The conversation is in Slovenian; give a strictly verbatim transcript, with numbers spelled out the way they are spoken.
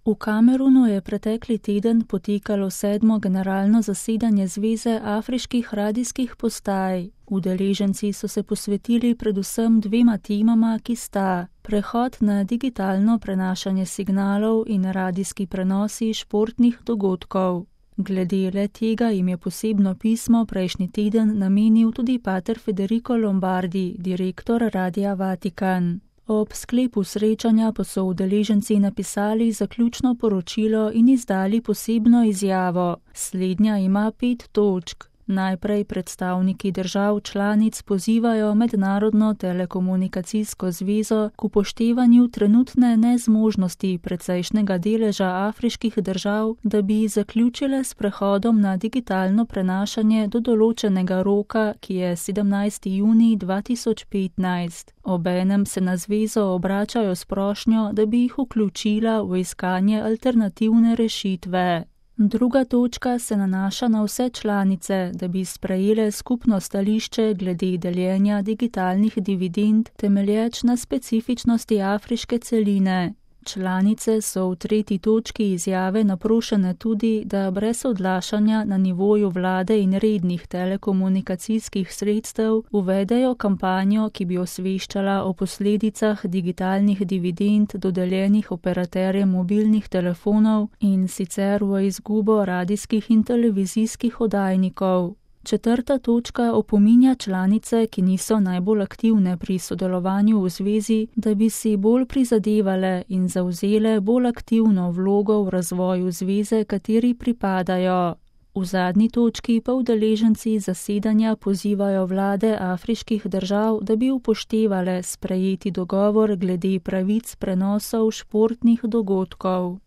V Kamerunu je pretekli teden potekalo sedmo generalno zasedanje Zveze afriških radijskih postaj. Udeleženci so se posvetili predvsem dvema temama, ki sta prehod na digitalno prenašanje signalov in radijski prenosi športnih dogodkov. Glede le tega jim je posebno pismo prejšnji teden namenil tudi pater Federico Lombardi, direktor Radia Vatikan. Ob sklepu srečanja pa so udeleženci napisali zaključno poročilo in izdali posebno izjavo. Slednja ima pet točk. Najprej predstavniki držav članic pozivajo Mednarodno telekomunikacijsko zvezo k upoštevanju trenutne nezmožnosti precejšnjega deleža afriških držav, da bi zaključile s prehodom na digitalno prenašanje do določenega roka, ki je sedemnajsti junij dva tisoč petnajst. Obenem se na zvezo obračajo s prošnjo, da bi jih vključila v iskanje alternativne rešitve. Druga točka se nanaša na vse članice, da bi sprejele skupno stališče glede deljenja digitalnih dividend, temelječ na specifičnosti afriške celine. Članice so v tretji točki izjave naprošene tudi, da brez odlašanja na nivoju vlade in rednih telekomunikacijskih sredstev uvedejo kampanjo, ki bi osveščala o posledicah digitalnih dividend dodeljenih operaterjem mobilnih telefonov in sicer v izgubo radijskih in televizijskih oddajnikov. Četrta točka opominja članice, ki niso najbolj aktivne pri sodelovanju v zvezi, da bi si bolj prizadevale in zavzele bolj aktivno vlogo v razvoju zveze, kateri pripadajo. V zadnji točki pa udeleženci zasedanja pozivajo vlade afriških držav, da bi upoštevale sprejeti dogovor glede pravic prenosov športnih dogodkov.